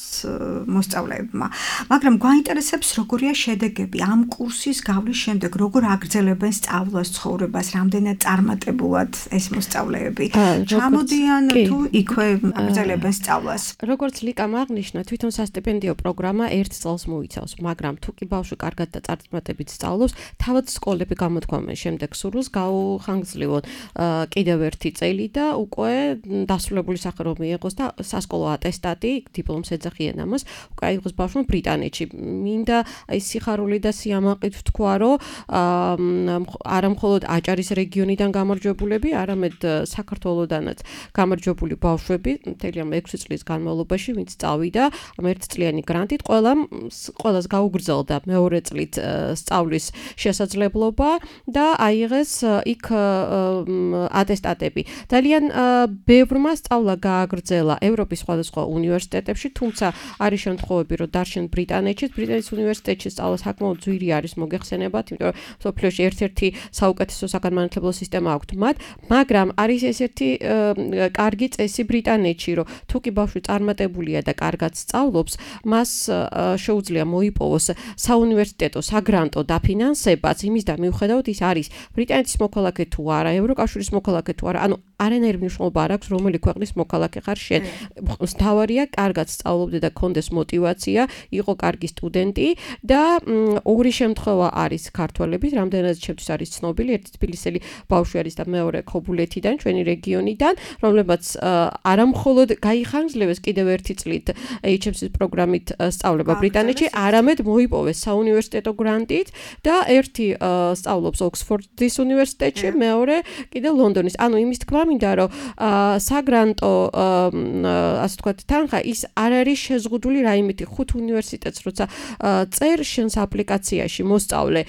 მოსწავლეებმა. მაგრამ გვაინტერესებს როგორია შედეგები ამ კურსის გავლის შემდეგ, როგორ აგრძელებენ სწავლას, ცხოვრებას, რამდენად წარმატებულად ეს მოსწავლეები ჩამოდიან თუ იქვე აგრძელებენ სწავლას. როგორც ლიკამ აღნიშნა, თვითონ სასტიპენდიო პროგრამა ერთ წელს მოიცავს, მაგრამ თუ კი ბავშვი კარგად და წარმატებით სწავლობს, თავად სკოლები გამოთქვამენ შემდეგ სურვილს გაუხანგრძლივონ კიდევ ერთი წელი და უკვე დასრულებული სახე რომ მიიღოს და სასკოლო ატესტატი, დიპლომს ეძახიან ამას, უკვე აიღოს ბავშვმა ბრიტანეთში. მინდა აი სიხარული და სიამაყით ვთქვა, რომ არა მხოლოდ აჭარის რეგიონიდან გამარჯვებულები, არამედ საქართველოდანაც გამარჯვებული ბავშვები მთელი ამ ექვსი წლის განმავლობაში, ვინც წავიდა ამ ერთწლიანი გრანტით, ყველამ ყველას გაუგრძელდა მეორე წლით სწავლის შესაძლებლობა და აიღეს იქ ატესტატები. ძალიან ბევრმა სწავლა გააგრძელა ევროპის სხვადასხვა უნივერსიტეტებში, თუმცა არის შემთხვევები, რომ დარჩენ ბრიტანეთში, ბრიტანეთის უნივერსიტეტში სწავლა საკმაოდ ძვირი არის მოგეხსენებათ, იმიტომ რომ სოფლიოში ერთ-ერთი საუკეთესო საგანმანათლებლო სისტემა აქვთ მათ, მაგრამ არის ესეთი კარგი წესი ბრიტანეთში, რომ თუ კი ბავშვი წარმატებულია და კარგად სწავლობს, მას შეუძლია მოიპოვოს საუნივერსიტეტო, საგრანტო დაფინანსებაც, იმის და მიუხედავად ის არის ბრიტანეთის მოქალაქე თუ არა, ევროკავშირის მოქალაქე თუ არა, ანუ არანაირი მნიშვნელობა არ აქვს, რომელი ქვეყნის მოქალაქე ხარ შენ. მთავარია, კარგად სწავლობდე და გქონდეს მოტივაცია, იყო კარგი სტუდენტი და ორი შემთხვევა არის ქართველების, რამდენადაც ჩემთვის არის ცნობილი, ერთი თბილისელი ბავშვი არის და მეორე ქობულეთიდან, ჩვენი რეგიონიდან, რომლებიც არა მხოლოდ გაიხანგრძლივეს კიდევ ერთი წლით ეიჩ ემ სი-ის პროგრამით სწავლება ბრიტანეთში, არამედ მოიპოვეს საუნივერსიტეტო გრანტით და ერთი სწავლობს ოქსფორდის უნივერსიტეტში, მეორე კიდე ლონდონის. ანუ იმის თქმა მინდა რომ საგრანტო ასე ვთქვათ თანხა ის არ არის შეზღუდული რაიმეთი ხუთ უნივერსიტეტს როცა წერ შენს აპლიკაციაში მოსწავლე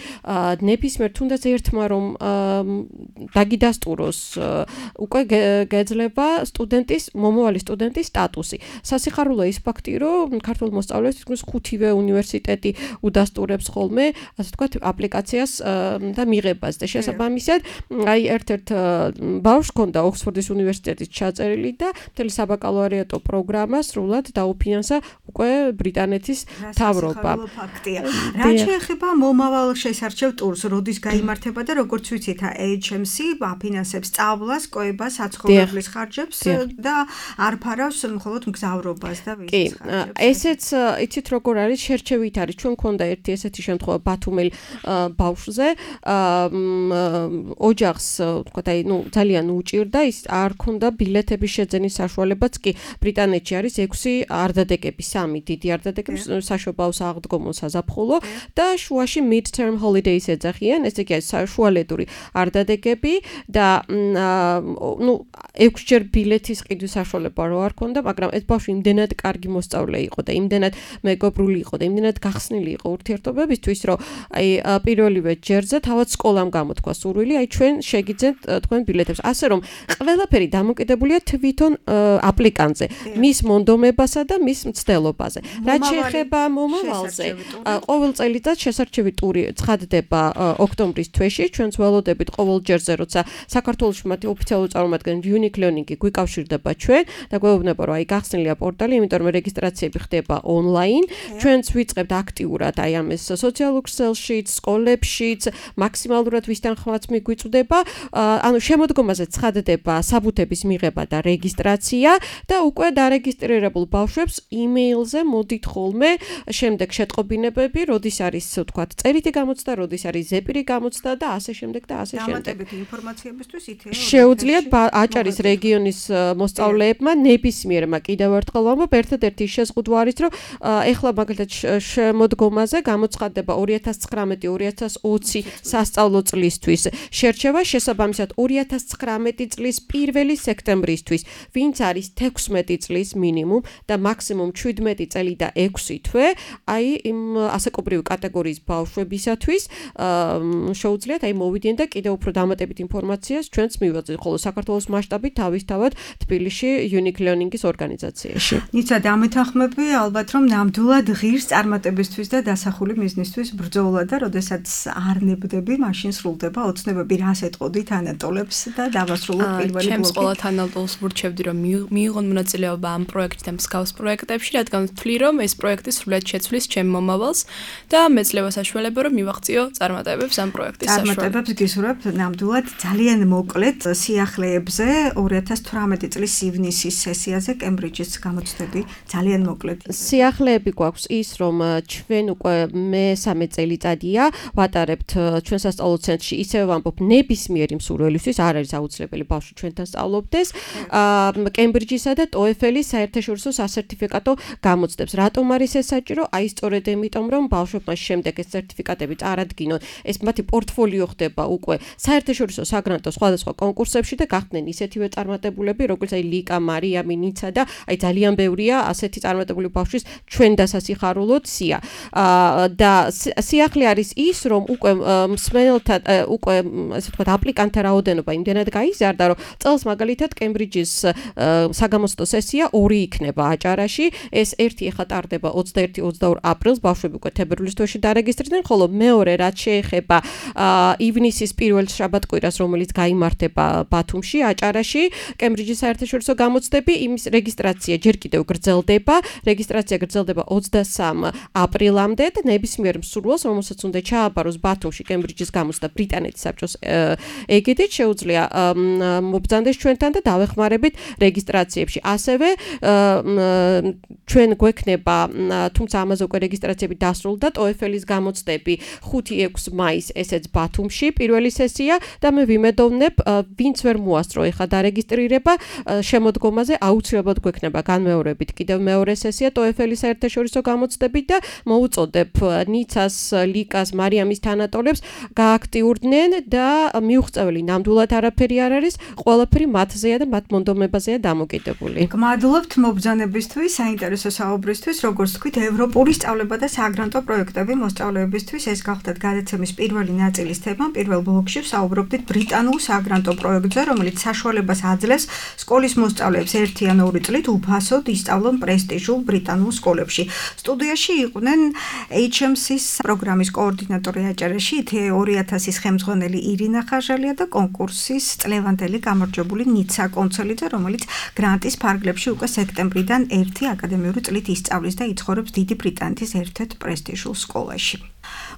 ნებისმიერ თუნდაც ერთმა რომ დაგიდასტუროს უკვე გეძლება სტუდენტის მომავალი სტუდენტის სტატუსი. სასიხარულო ის ფაქტი რომ ქართულ მოსწავლეებს თითქმის ხუთივე უნივერსიტეტი უდასტურებს ხოლმე ასე ვთქვათ აპლიკაციას და მიღებას და შესაბამისად აი ერთ-ერთ ბავშვს ჰქონდა ოქსფორდის უნივერსიტეტის ჩაწერილი და მთელი საბაკალავრიატო პროგრამა სრულად დაუფინანსა უკვე ბრიტანეთის მთავრობა. რა შეეხება მომავალ შესარჩევ ტურს, როდის გაიმართება და როგორც ვიცით, ეიჩ ემ სი აფინანსებს სწავლას, კოებას, საცხოვრებლის ხარჯებს და არ ფარავს მხოლოდ მგზავრობას და ვიზის ხარჯებს. კი, ესეც იცით როგორ არის, შერჩევით არის. ჩვენ მქონდა ერთი ესეთი შემთხვევა ბათუმელ ბავშვზე, ოჯახს, ვთქვათ, აი, ნუ ძალიან უჭირდა, ის არ ქონდა ბილეთების შეძენის საშუალებაც კი. ბრიტანეთში არის ექვსი არდადეგები, სამი დიდი არდადეგები, საშობაოს აღდგომო საზაფხულო და შუაში mid-term holidays ეძახიან, ესე იგი შუალედური არდადეგები და ნუ ექვსჯერ ბილეთის ყიდვის საშუალება რო არ ქონდა, მაგრამ ეს ბავშვი იმდენად კარგი მოსწავლე იყო და იმდენად მეგობრული იყო და იმდენად გახსნილი იყო ურთიერთობებისთვის, რომ აი პირველივე ჯერზე თავად სკოლამ გამოთქვა სურვილი, აი ჩვენ შეგიძენთ თქვენ ბილეთებს. ასე რომ ყველაფერი დამოკიდებულია თვითონ აპლიკანტზე, მის მონდომებასა და მის მცდელობაზე. რაც შეეხება მომავალზე, ყოველ წელიწად შესარჩევი ტური ცხადდება ოქტომბრის თვეში, ჩვენც ველოდებით ყოველ ჯერზე, როცა საქართველოში მათი ოფიციალური წარმომადგენელი Unique Learning-ი გვიკავშირდება ჩვენ და გვეუბნება, რომ აი გახსნილია პორტალი, იმიტომ რომ რეგისტრაციები ხდება ონლაინ. ჩვენც ვიწყებთ აქტიურად აი ამას სოციალურ ქსელშიც, სკოლებშიც, მაქსიმალურად ვისთან ხმაც მიგვიწვდება. ანუ შემოდგომაზე ცხადდება საბუთების მიღება და რეგისტრაცია და უკვე დარეგისტრირებულ ბავშვებს იმეილზე მოდით ხოლმე შემდეგ შეტყობინებები, როდის არის ვთქვათ წერითი გამოცდა, როდის არის ზეპირი გამოცდა და ასე შემდეგ და ასე შემდეგ. დამატებითი ინფორმაციებისთვის ითეო. შეუძლიათ აჭარის რეგიონის მოსწავლეებმა ნებისმიერმა კიდევ ერთხელ ვამბობ, ერთადერთი შეზღუდვა არის, რომ ეხლა მაგალითად შემოდგომაზე გამოცხადდება ორი ათას ცხრამეტი ორი ათას ოცი სასწავლო წლისთვის. შერჩევა შესაბამისად ორი ათას ცხრამეტი წლის პირველი სექტემბრისთვის, ვინც არის თექვსმეტი წლის მინიმუმ და მაქსიმუმ შვიდმეტი წელი და ექვსი თვე, აი იმ ასაკობრივი კატეგორიის ბავშვებისათვის შეუძლიათ აი მოვიდნენ და კიდევ უფრო დამატებით ინფორმაციას ჩვენც მივაწვდით, ხოლო საქართველოს მასშტაბით თავისთავად თბილისში Unique Learning-ის ორგანიზაციაში. ნიცა დამეთანხმები ალბათ რომ ნამდვილად ღირს წარმატებისთვის და დასახული მიზნისთვის ბრძოლა და როდესაც არ ნებდები, მაშინ სრულდება ოცნებები. რას ეტყოდით ანატოლებს და დავასრულოთ პირველი ბლოკი. ჩემს ყველა ანატოლს ვურჩევდი რომ მიიღონ მონაწილეობა ამ პროექტში და მსგავს პროექტებში, რადგან ვთვლი რომ ეს პროექტი სრულად შეცვლის ჩემ მომავალს და მეძლევა საშუალება რომ მივაღწიო წარმატებებს ამ პროექტის საშუალებით. წარმატებებს გისურვებთ ნამდვილად ძალიან მოკლედ სიახლეებზე ორი ათას თვრამეტი წლის ივნისის სესიაზე კემბრიჯის გამოცდები ძალიან მოკლედ. სიახლეები გვაქვს ის რომ ჩვენ უკვე მესამე წელიწადია ვატარებთ ჩვენ სასწავლო ცენტრში, ისევ ვამბობ ნებისმიერი მსურველისთვის არ არის აუცილებელი ბავშვი ჩვენთან სწავლობდეს კემბრიჯისა და ტოეფელის საერთაშორისო სასერტიფიკატო გამოცდებს. რატომ არის ეს საჭირო? აი სწორედ იმიტომ რომ ბავშვებმა შემდეგ ეს სერტიფიკატები წარადგინონ, ეს მათი პორტფოლიო ხდება უკვე საერთაშორისო საგრანტო სხვადასხვა კონკურსებში და გახდნენ ისეთივე წარმატებულები, როგორც აი ლიკა, მარიამი, ნიცა და აი ძალიან ბევრია ასეთი წარმატებული ბავშვის ჩვენ დასასიხარულოდ სია. და სიახლე არის ის, რომ უკვე მსმენელთა უკვე ასე ვთქვათ აპლიკანტთა რაოდენობა იმდენად გაიზარდა, რომ წელს მაგალითად კემბრიჯის საგამოცდო სესია ორი იქნება აჭარაში. ეს ერთი ეხლა ტარდება ოცდაერთი ოცდაორი აპრილს, ბავშვები უკვე თებერვლის თვეში დარეგისტრირდნენ, ხოლო მეორე რაც შეეხება ივნისის პირველ შაბათ-კვირას, რომელიც გაიმართება ბათუმში, აჭარაში, კემბრიჯის საერთაშორისო გამოცდები, იმის რეგისტრაცია ჯერ კიდევ გრძელდება. რეგისტრაცია გრძელდება ოცდასამ აპრილამდე და ნებისმიერ მსურველს, რომელსაც უნდა ჩააბაროს ბათუმში კემბრიჯის გამოცდა ბრიტანეთის საბჭოს ეგიდით, შეუძლია მობრძანდეს ჩვენთან და დავეხმარებით რეგისტრაციებში. ასევე ჩვენ გვექნება, თუმცა ამაზე უკვე რეგისტრაციები დასრულდა, ტოეფელის გამოცდები ხუთი ექვსი მაისს ესეც ბათუმში პირველი სესია და მე ვიმედოვნებ, ვინც ვერ მოასწრო ეხლა დარეგისტრირება, შემოდგომაზე აუცილებლად გვექნება განმეორებით კიდევ მეორე სესია ტოეფელის საერთაშორისო გამოცდებით და მოუწოდებ ნიცას, ლიკას, მარიამის თანატოლებს გააქტიურდნენ და მიუღწეველი ნამდვილად არაფერი არ არის, ყველაფერი მათზეა და მათ მონდომებაზეა დამოკიდებული. გმადლობთ მობრძანებისთვის, საინტერესო საუბრისთვის, როგორც თქვით, ევროპული სწავლება და საგრანტო პროექტები მოსწავლეებისთვის ეს გახლდათ გადაცემის პირველი ნაწილის თემა. პირველ ბლოკში ვსაუბრობდით ბრიტანულ საგრანტო პროექტზე, რომელიც საშუალებას აძლევს სკოლის მოსწავლეებს ერთი ან ორი წლით უფასოდ ისწავლონ პრესტიჟულ ბრიტანულ სკოლებში. სტუდიაში იყვნენ ეიჩ ემ სის პროგრამის კოორდინატორი აჭარაში, ორი ათასის ხელმძღვანელი ირინა ხაჟალია და კონკურსის წლევანდელი გამარჯვებული ნიცა კონცელიძე, რომელიც გრანტის ფარგლებში უკვე სექტემბრიდან ერთი აკადემიური წლით ისწავლის და იცხოვრობს დიდი ბრიტანეთის ერთ-ერთ პრესტიჟულ სკოლაში.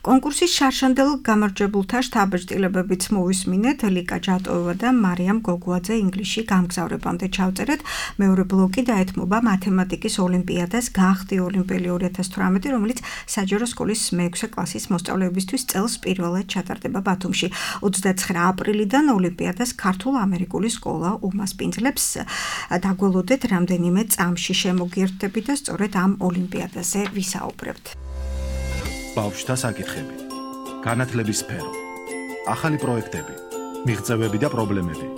კონკურსის შარშანდელ გამარჯვებულთა შთაბეჭდილებებიც მოვისმინეთ. ლიკა ჯატოევა და მარიამ გოგუაძე ინგლისში გამგზავრებამდე ჩავწერეთ. მეორე ბლოკი დაეთმობა მათემატიკის ოლიმპიადას გახდი ოლიმპიელი ორი ათას თვრამეტი, რომელიც საჯარო სკოლის მეექვსე კლასის მოსწავლეებისთვის წელს პირველად ჩატარდება ბათუმში. ოცდაცხრა აპრილიდან ოლიმპიადას ქართულ-ამერიკული სკოლა უმასპინძლებს. დაგველოდეთ რამდენიმე წამში შემოგიერთდებით და სწორედ ამ ოლიმპიადაზე ვისაუბრებთ. ბავშვთა საკითხები, განათლების სფერო, ახალი პროექტები, მიღწევები და პრობლემები.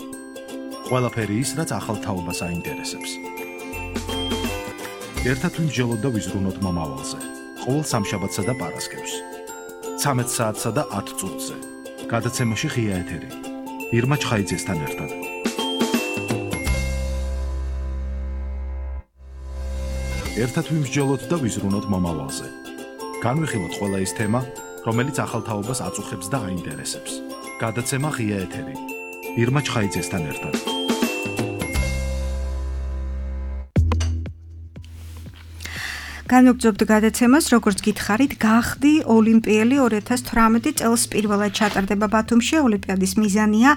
ყველაფერი ის, რაც ახალ თაობას აინტერესებს. ერთად ვიმსჯელოთ და ვიზრუნოთ მომავალზე. ყოველ სამშაბათსა და პარასკევს. ცამეტ საათსა და ათ წუთზე. გადაცემაში ღია ეთერი. ირმა ჩხაიძესთან ერთად. ერთად ვიმსჯელოთ და ვიზრუნოთ მომავალზე. განვიხილოთ ყველა ის თემა, რომელიც ახალ თაობას აწუხებს და აინტერესებს. გადაცემა ღია ეთერი. ირმა ჩხაიძესთან ერთად. განვაგრძობთ გადაცემას, როგორც გითხარით, გახდი ოლიმპიელი ორი ათას თვრამეტი წელს პირველად ჩატარდება ბათუმში. ოლიმპიადის მიზანია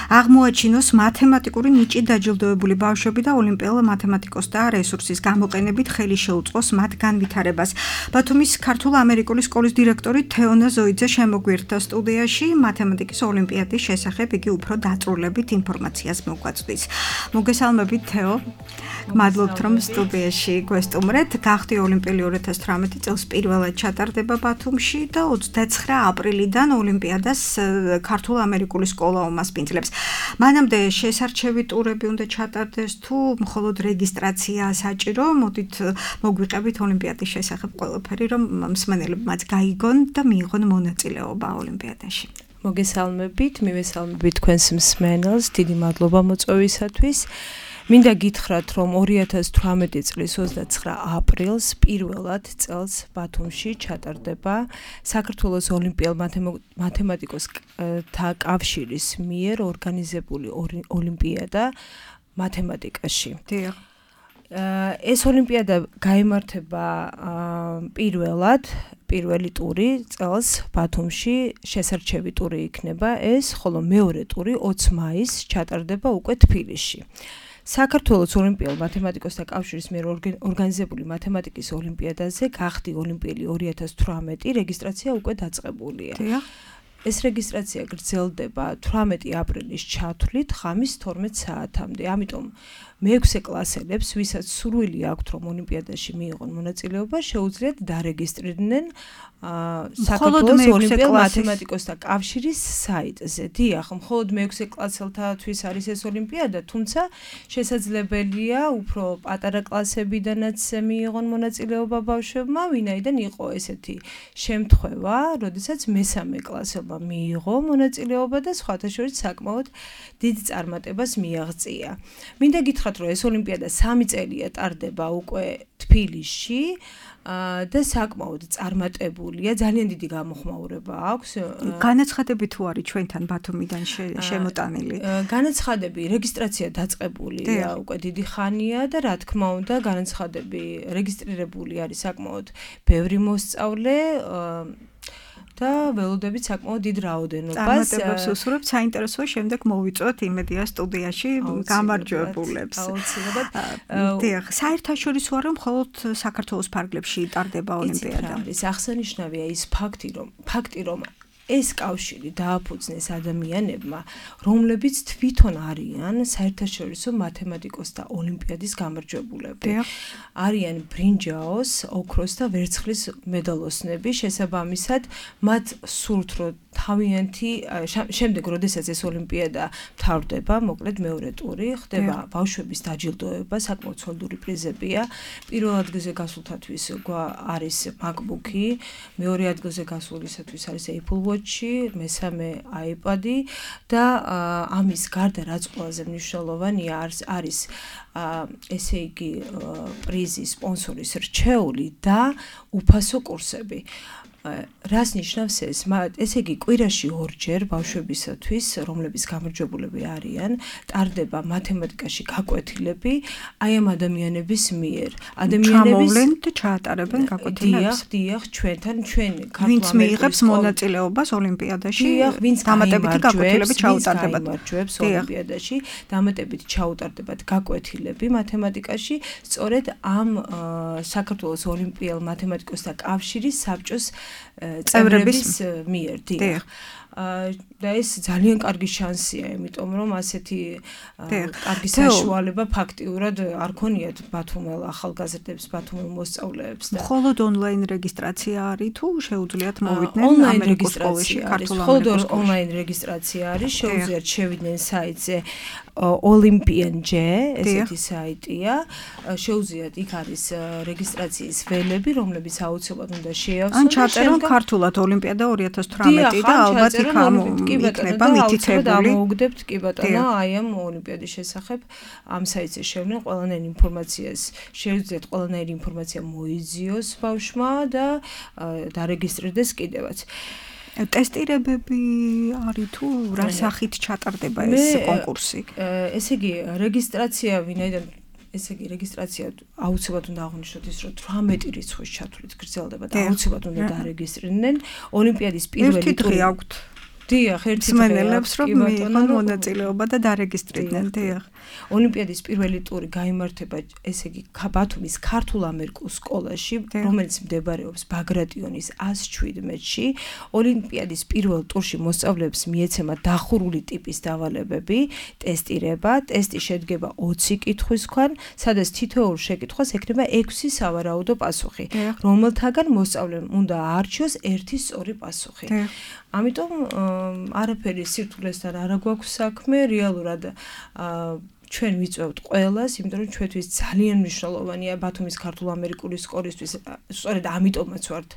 აღმოაჩინოს მათემატიკური ნიჭით დაჯილდოებული ბავშვები და ოლიმპიელ მათემატიკოსთა რესურსის გამოყენებით ხელი შეუწყოს მათ განვითარებას. ბათუმის ქართულ-ამერიკული სკოლის დირექტორი თეონა ზოიძე შემოგვიერთდა სტუდიაში. მათემატიკის ოლიმპიადის შესახებ იგი უფრო დაწვრილებით ინფორმაციას მოგვაწვდის. მოგესალმებით თეო. გმადლობთ რომ სტუდიაში გვესტუმრეთ. გახდი ოლიმპიელი ორი ათას თვრამეტი წელს პირველად ჩატარდება ბათუმში და ოცდაცხრა აპრილიდან ოლიმპიადას ქართულ-ამერიკული სკოლა უმასპინძლებს. მანამდე შესარჩევი ტურები უნდა ჩატარდეს თუ მხოლოდ რეგისტრაცია საჭირო? მოდით მოგვიყევით ოლიმპიადის შესახებ ყველაფერი, რომ მსმენელებმაც გაიგონ და მიიღონ მონაწილეობა ოლიმპიადაში. მოგესალმებით, მივესალმებით თქვენს მსმენელს, დიდი მადლობა მოწვევისათვის. მინდა გითხრათ, რომ ორი ათას თვრამეტი წლის ოცდაცხრა აპრილს პირველად წელს ბათუმში ჩატარდება საქართველოს ოლიმპიელ მათემატიკოსთა კავშირის მიერ ორგანიზებული ოლიმპიადა მათემატიკაში. დიახ. ეს ოლიმპიადა გაიმართება პირველად, პირველი ტური წელს ბათუმში, შესარჩევი ტური იქნება ეს, ხოლო მეორე ტური ოცი მაისს ჩატარდება უკვე თბილისში. საქართველოს ოლიმპიელ მათემატიკოსთა კავშირის მიერ ორგანიზებული მათემატიკის ოლიმპიადაზე გახდი ოლიმპიელი ორი ათას თვრამეტი რეგისტრაცია უკვე დაწყებულია. ეს რეგისტრაცია გრძელდება თვრამეტი აპრილის ჩათვლით ღამის თორმეტ საათამდე. ამიტომ მეექვსე კლასელებს, ვისაც სურვილი აქვთ რომ ოლიმპიადაში მიიღონ მონაწილეობა, შეუძლიათ დარეგისტრირდნენ საქართველოს ოლიმპიელ მათემატიკოსთა კავშირის საიტზე. დიახ, მხოლოდ მეექვსე კლასელთათვის არის ეს ოლიმპიადა, თუმცა შესაძლებელია უფრო პატარა კლასებიდანაც მიიღონ მონაწილეობა ბავშვებმა, ვინაიდან იყო ესეთი შემთხვევა, როდესაც მესამე კლასელმა მიიღო მონაწილეობა და სხვათა შორის საკმაოდ დიდ წარმატებას მიაღწია. მინდა გითხრათ, რომ ეს ოლიმპიადა სამი წელია ტარდება უკვე თბილისში და საკმაოდ წარმატებულია, ძალიან დიდი გამოხმაურება აქვს. განაცხადები თუ არის ჩვენთან ბათუმიდან შემოტანილი? განაცხადები, რეგისტრაცია დაწყებულია უკვე დიდი ხანია და რა თქმა უნდა, განაცხადები რეგისტრირებული არის საკმაოდ ბევრი მოსწავლე და ველოდებით საკმაოდ დიდ რაოდენობას. წარმატებებს უსურვებთ, საინტერესოა შემდეგ მოვიწვევთ იმედია სტუდიაში გამარჯვებულებს. აუცილებლად. დიახ, საერთაშორისო არა, მხოლოდ საქართველოს ფარგლებში ტარდება ოლიმპიადა. ის აღსანიშნავია ის ფაქტი, რომ ფაქტი რომ ეს კავშირი დააფუძნეს ადამიანებმა, რომლებიც თვითონ არიან საერთაშორისო მათემატიკოსთა ოლიმპიადის გამარჯვებულები. არიან ბრინჯაოს, ოქროს და ვერცხლის მედალოსნები, შესაბამისად, მათ სურთ რომ თავიანთი შემდეგ, როდესაც ეს ოლიმპიადა მთავრდება, მოკლედ მეორე ტური, ხდება ბავშვების დაჯილდოება, საკმაოდ სოლიდური პრიზებია. პირველ ადგილზე გასულთათვის არის MacBook-ი, მეორე ადგილზე გასულისათვის არის Apple Watch-ი, მესამე iPad-ი და ამის გარდა რაც ყველაზე მნიშვნელოვანია არის არის ესე იგი პრიზის სპონსორის რჩეული და უფასო კურსები. რას ნიშნავს ეს? ესე იგი კვირაში ორჯერ ბავშვებისათვის, რომლებიც გამარჯვებულები არიან, ტარდება მათემატიკაში გაკვეთილები აი ამ ადამიანების მიერ. ადამიანების ჩამოვლენ და ჩაატარებენ გაკვეთილებს. დიახ, დიახ, ჩვენთან, ჩვენ ქართულ ვინც მიიღებს მონაწილეობას ოლიმპიადაში, ვინც დამატებითი გაკვეთილები ჩაუტარდებათ ოლიმპიადაში, დამატებით ჩაუტარდებათ გაკვეთილები მათემატიკაში, სწორედ ამ საქართველოს ოლიმპიელ მათემატიკოსთა კავშირის საბჭოს წევრების მიერ. დიახ. და ეს ძალიან კარგი შანსია, იმიტომ რომ ასეთი კარგი საშუალება ფაქტიურად არ ქონიათ ბათუმელ ახალგაზრდებს, ბათუმელ მოსწავლეებს და მხოლოდ ონლაინ რეგისტრაცია არის თუ შეუძლიათ მოვიდნენ ამერიკის სკოლაში, ქართულ ამერიკის სკოლაში? ონლაინ რეგისტრაცია არის, შეუძლიათ შევიდნენ საიტზე Olympian-J, ესეთი საიტია. შეუძლიათ, იქ არის რეგისტრაციის ველები, რომლებიც აუცილებლად უნდა შეავსონ. ან ჩაწერონ ქართულად ოლიმპიადა ორი ათას თვრამეტი და ალბათ იქ იქნება მითითებული. ამოუგდებთ კი ბატონო, აი ამ ოლიმპიადის შესახებ ამ საიტზე შევლენ ყველანაირ ინფორმაციას. შეუძლიათ ყველანაირ ინფორმაცია მოიძიოს ბავშვმა და დარეგისტრირდეს კიდევაც. ტესტირებები არის თუ რა სახით ჩატარდება ეს კონკურსი? ესე იგი, რეგისტრაცია ვინაიდან ესე იგი, რეგისტრაცია აუცილებლად უნდა აღვნიშნოთ ის, რომ თვრამეტი რიცხვის ჩათვლით გრძელდება და აუცილებლად უნდა დაარეგისტრირდნენ ოლიმპიადის პირველი ტური. აქვთ. დიახ, ერთი მსმენელებს რომ მიიღონ მონაწილეობა და დარეგისტრირდნენ. დიახ. ოლიმპიადის პირველი ტური გაიმართება, ესე იგი, ბათუმის ქართულ ამერიკულ სკოლაში, რომელიც მდებარეობს ბაგრატიონის ას შვიდმეტში. ოლიმპიადის პირველ ტურში მოსწავლეებს მიეცემა დახურული ტიპის დავალებები, ტესტირება, ტესტი შედგება ოცი კითხვისგან, სადაც თითოეულ შეკითხვას ექნება ექვსი სავარაუდო პასუხი, რომელთაგან მოსწავლემ უნდა აარჩიოს ერთი სწორი პასუხი. ამიტომ არაფერი სირთულესთან არ გვაქვს საქმე, რეალურად ჩვენ ვიწევთ ყველას, იმიტომ რომ ჩვენთვის ძალიან მნიშვნელოვანია ბათუმის ქართულ ამერიკული სკოლისთვის, სწორედ ამიტომაც ვართ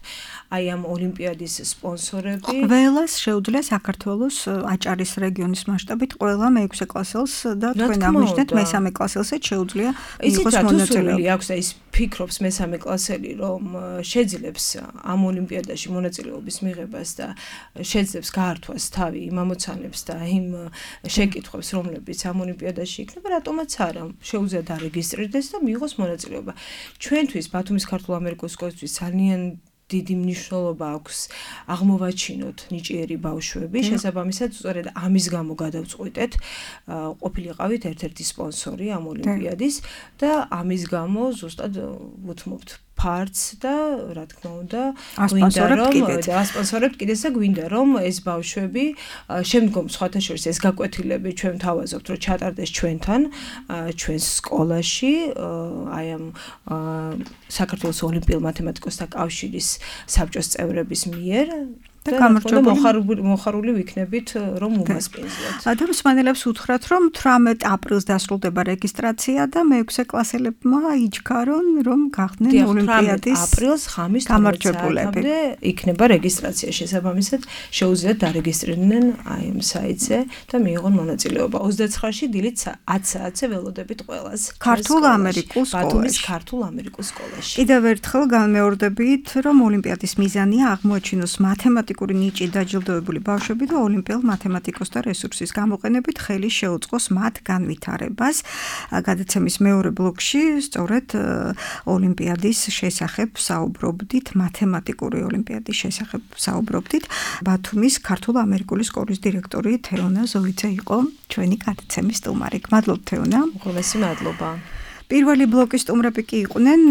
აი ამ ოლიმპიადის სპონსორები. ყველას შეუძლია საქართველოს აჭარის რეგიონის მასშტაბით ყველა მეექვსე კლასელს და თქვენ აღნიშნეთ მესამე კლასელსაც შეუძლია იყოს მონაწილეობა. აქვს და ის ფიქრობს მესამე კლასელი, რომ შეძლებს ამ ოლიმპიადაში მონაწილეობის მიღებას და შეძლებს გაართვას თავი იმ ამოცანებს და იმ შეკითხვებს, რომლებიც ამ ოლიმპიადაში იქნება, რატომაც არა, შეუძლია დარეგისტრირდეს და მიიღოს მონაწილეობა. ჩვენთვის ბათუმის ქართულ ამერიკულ სკოლისთვის ძალიან დიდი მნიშვნელობა აქვს აღმოვაჩინოთ ნიჭიერი ბავშვები, შესაბამისად, სწორედ ამის გამო გადავწყვიტეთ, ყოფილიყავით ერთ-ერთი სპონსორი ამ ოლიმპიადის და ამის გამო ზუსტად ვუთმობთ ფარც და რა თქმა უნდა გვინდა რომ ასპონსორებთ კიდეც და გვინდა რომ ეს ბავშვები შემდგომ სხვათა შორის ეს გაკვეთილები ჩვენ თავაზობთ რომ ჩატარდეს ჩვენთან ჩვენს სკოლაში აი ამ საქართველოს ოლიმპიელ მათემატიკოსთა კავშირის საბჭოს წევრების მიერ და გამარჯვებული მოხარული ვიქნებით რომ უმასპინძლოთ. ადამიანებს უთხრათ რომ თვრამეტ აპრილს დასრულდება რეგისტრაცია და მეექვსე კლასელებმა იჩქარონ რომ გახდნენ ოლიმპიადის აპრილს ხამის გამარჯვებულები. იქნება რეგისტრაცია შესაბამისად შეუძლიათ დარეგისტრირდნენ აი ამ საიტზე და მიიღონ მონაწილეობა. ოცდაცხრაში დილით ათ საათზე ველოდებით ყველას. ქართულ ამერიკულ სკოლაში. ქართულ ამერიკულ სკოლაში. კიდევ ერთხელ განმეორდებით რომ ოლიმპიადის მიზანია აღმოაჩინოს მათემატიკა ნიჭი დაჯილდოებული ბავშვები და ოლიმპიელ მათემატიკოსთა რესურსის გამოყენებით ხელი შეუწყოს მათ განვითარებას. გადაცემის მეორე ბლოკში სწორედ ოლიმპიადის შესახებ საუბრობდით, მათემატიკური ოლიმპიადის შესახებ საუბრობდით. ბათუმის ქართულ ამერიკული სკოლის დირექტორი თეონა ზოვიძე იყო ჩვენი გადაცემის სტუმარი. მადლობთ თეონა. უღრმესი მადლობა. პირველი ბლოკის სტუმრები კი იყვნენ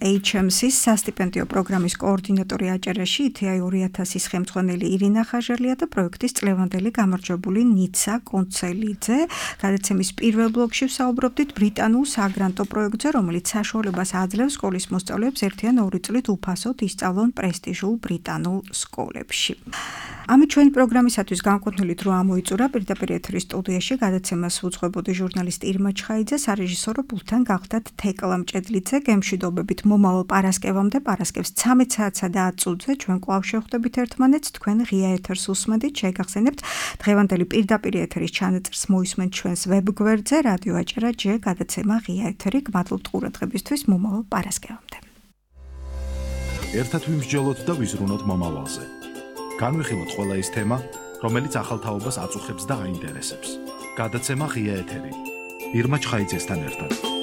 ეიჩ ემ სის სასტიპენდიო პროგრამის კოორდინატორი აჭარაში ითეაი ორი ათასის ხელმძღვანელი ირინა ხაჟელია და პროექტის წლევანდელი გამარჯვებული ნიცა კონცელიძე. გადაცემის პირველ ბლოკში ვსაუბრობდით ბრიტანულ საგრანტო პროექტზე, რომელიც საშუალებას აძლევს სკოლის მოსწავლეებს ერთი ან ორი წლით უფასოდ ისწავლონ პრესტიჟულ ბრიტანულ სკოლებში. ამით ჩვენი პროგრამისათვის განკუთვნილი დრო ამოიწურა. პირდაპირ ეთერის სტუდიაში გადაცემას უძღვებოდი ჟურნალისტი ირმა ჩხაიძე, სარეჟისორო პულტთან გახდათ თეკლა მჭედლიძე. გემშვიდობებით მომავალ პარასკევამდე, პარასკევს ცამეტ საათსა და ათ წუთზე ჩვენ კვლავ შევხვდებით ერთმანეთს. თქვენ ღია ეთერს უსმენთ, შეგახსენებთ დღევანდელი პირდაპირ ეთერის ჩანაწერს მოისმენთ ჩვენს ვებგვერდზე რადიო აჭარა ჯე გადაცემა ღია ეთერი. გმადლობთ ყურადღებისთვის, მომავალ პარასკევამდე. ერთად ვიმსჯელოთ და ვიზრუნოთ მომავალზე. განვიხილოთ ყველა ის თემა, რომელიც ახალ თაობას აწუხებს და აინტერესებს. გადაცემა ღია ეთერი. ირმა ჩხაიძესთან ერთად.